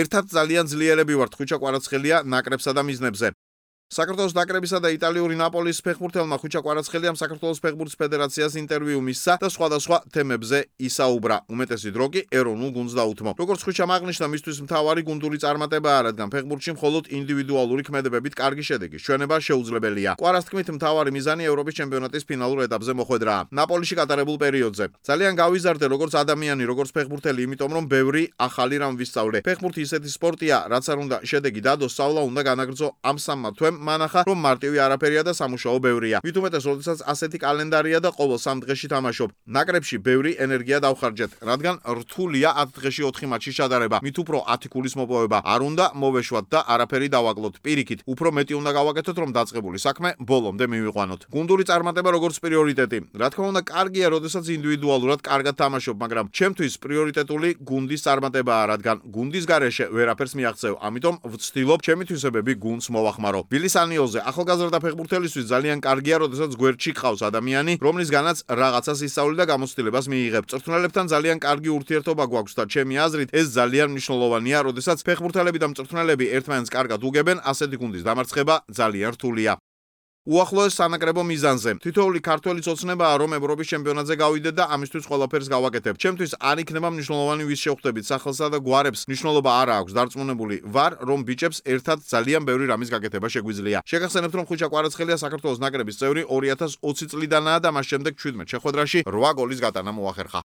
ერთად ძალიან ძლიერები ვართ ხვიჩა კვარაცხელია ნაკრებსა და მიზნებზე. საქართველოს ნაკრებისა და იტალიური ნაპოლის ფეხბურთელმა ხვიჩა კვარაცხელიამ საქართველოს ფეხბურთის ფედერაციას ინტერვიუ მისცა და სხვადასხვა თემებზე ისაუბრა. უმეტესი დრო კი ეროვნულ გუნდს დაუთმო. როგორც ხვიჩამ აღნიშნა, მისთვის მთავარი გუნდური წარმატებაა, რადგან ფეხბურთში მხოლოდ ინდივიდუალური ქმედებებით კარგი შედეგის ჩვენება შეუძლებელია. კვარას თქმით, მთავარი მიზანი ევროპის ჩემპიონატის ფინალურ ეტაპზე მოხვედრაა. ნაპოლიში გატარებულ პერიოდზე ძალიან გავიზარდე როგორც ადამიანი, როგორც ფეხბურთელი, იმიტომ რომ ბევრი ახალი რამ ვისწავლე. ფეხბურთი ისეთი სპორტია, რაც არ უნდა შედეგი დადო, სწავლა უნდა განაგრძო ამ სამმა თვემ. მანახა რომ მარტივი არაფერია და სამუშაო ბევრია. მით უმეტეს, როდესაც ასეთი კალენდარია და ყოველ 3 დღეში თამაშობ. ნაკრებში ბევრი ენერგია დავხარჯეთ, რადგან რთულია 10 დღეში 4 მატჩის ჩადარება. მით უფრო 10 ქულის მოპოვება არ უნდა მოვეშვათ და არაფერი დავაკლოთ. პირიქით, უფრო მეტი უნდა გავაკეთოთ, რომ დაწყებული საქმე ბოლომდე მივიყვანოთ. გუნდური წარმატება როგორც პრიორიტეტი. რა თქმა უნდა, კარგია, როდესაც ინდივიდუალურად კარგად თამაშობ, მაგრამ ჩემთვის პრიორიტეტული გუნდის წარმატებაა, რადგან გუნდის გარეშე ვერაფერს მიაღწევ. ამიტომ ვცდილობ ჩემი თვისებები გუნდს მოვახმარო. სანიოზე ახალგაზრდა ფეხბურთელისთვის ძალიან კარგია, როდესაც გვერდში ყავს ადამიანი, რომლისგანაც რაღაცას ისწავლი და გამოცდილებას მიიღებ. მწვრთნელებთან ძალიან კარგი ურთიერთობა გვაქვს და ჩემი აზრით ეს ძალიან მნიშვნელოვანია, როდესაც ფეხბურთელები და მწვრთნელები ერთმანეთს კარგად უგებენ, ასეთი გუნდის დამარცხება ძალიან რთულია. უახლოეს სანაკრებო მიზანზე. თითოეული ქართველის ოცნებაა, რომ ევროპის ჩემპიონატზე გავიდეთ და ამისთვის ყველაფერს გავაკეთებ. ჩემთვის არ იქნება მნიშვნელოვანი ვის შევხვდებით სახელსა და გვარებს, მნიშვნელობა არ აქვს. დარწმუნებული ვარ, რომ ბიჭებს ერთად ძალიან ბევრი რამის გაკეთება შეგვიძლია. შეგახსენებთ, რომ ხვიჩა კვარაცხელია საქართველოს ნაკრების წევრი 2020 წლიდანაა და მას შემდეგ 17 შეხვედრაში 8 გოლის გატანა მოახერხა.